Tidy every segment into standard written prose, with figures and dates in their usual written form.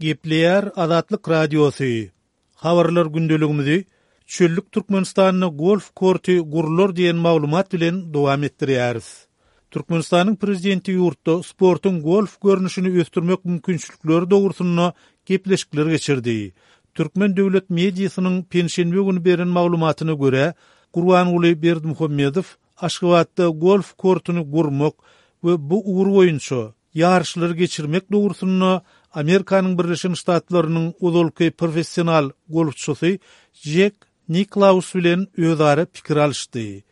Gepleýär Azatlyk Radiosy, Habarlar gündeligimizi Çöllük Türkmenistanda golf korty gurlar diýen maglumat bilen dowam etdirýäris. Türkmenistanyň Prezidenti ýurtda sportuň golf görnüşini ösdürmek mümkinçilikleri dogrusynda gepleşikler geçirdi. Türkmen döwlet mediasynyň penşenbe güni beren maglumatyna görä, Gurbanguly Berdimuhamedow Aşgabatda golf kortuny gurmak we bu ugur boýunça ýaryşlary geçirmek dogrusynda Amerikanyň Birleşen Ştatlarynyň ozalky professional golfçysy Jek Niklaus bilen özara pikir alyşdy.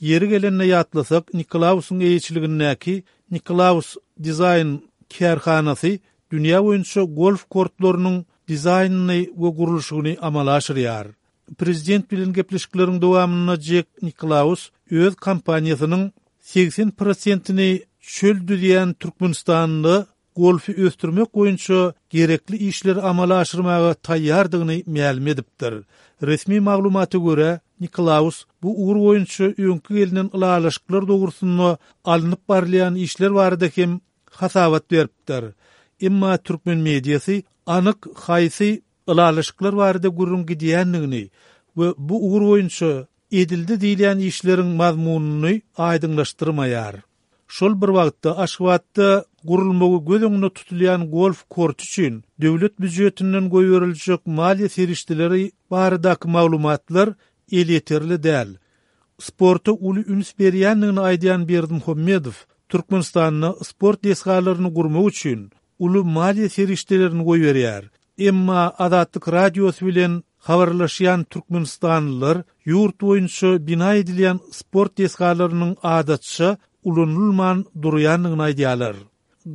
Ýeri gelende ýatlasak, Niklausyň eýeçiligindäki Niklaus Design kärhanasy dünýä boýunça golf kortlarynyň dizaýnyny we gurluşygyny amala aşyrýar. Prezident bilen gepleşikleriň dowamynda Jek Niklaus öz kompaniýasynyň 80 prosentini çöl düzýän Türkmenistanda golfy ösdürmek boýunça gerekli işleri amala aşyrmaga taýýardygyny mälim edipdir. Resmi maglumata görä, Niklaus bu ugur boýunça öňki gelnen ylalaşyklar dogrusynda alnyp barylýan işler barada hem hasabat beripdir. Emma türkmen mediasy anyk haýsy ylalaşyklar barada gürrüň gidýändigini we bu ugur boýunça edildi diýilýän işleriň mazmunyny aýdyňlaşdyrmaýar. Şol bir wagtda, Aşgabatda gurulmagy göz öňünde tutulýan golf korty üçin döwlet býujetinden goýberiljek maliýe serişdeleri baradaky maglumatlar elýeterli däl. Sporta uly üns berýändigini aýdýan Berdimuhamedow Türkmenistanda sport desgalaryny gurmak üçin uly maliýe serişdelerini goýberýär. Emma Azatlyk Radiosy bilen habarlaşýan türkmenistanlylar ýurt boýunça bina edilýän sport desgalarynyň adatça ulanylman durýandygyny aýdýarlar.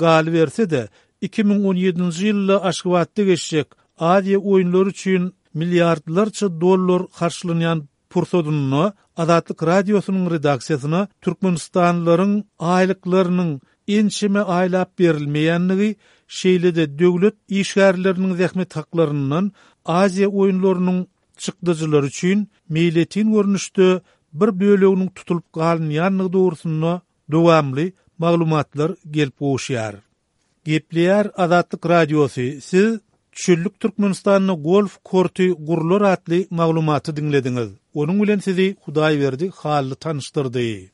Galyberse-de, 2017-nji ýylda Aşgabatda geçjek Aziýa oýunlary üçin milliardlarça dollar harçlanýan Pursadynda Azatlyk Radiosynyň redaksiýasyna türkmenistanlylaryň aýlyklarynyň ençeme aýlap berilmeýändigi, şeýle-de döwlet işgärleriniň zähmet haklaryndan Aziýa oýunlarynyň çykdajylary üçin meýletin görnüşde bir böleginiň tutulyp galynýandygy dogrusynda dowamly maglumatlar gelip gowuşýar. Gepleýär Azatlyk Radiosy, Siz Çöllük Türkmenistanda golf korty gurlar atly maglumaty diňlediňiz. Onuň bilen sizi Hudaýberdi Hally tanyşdyrdy.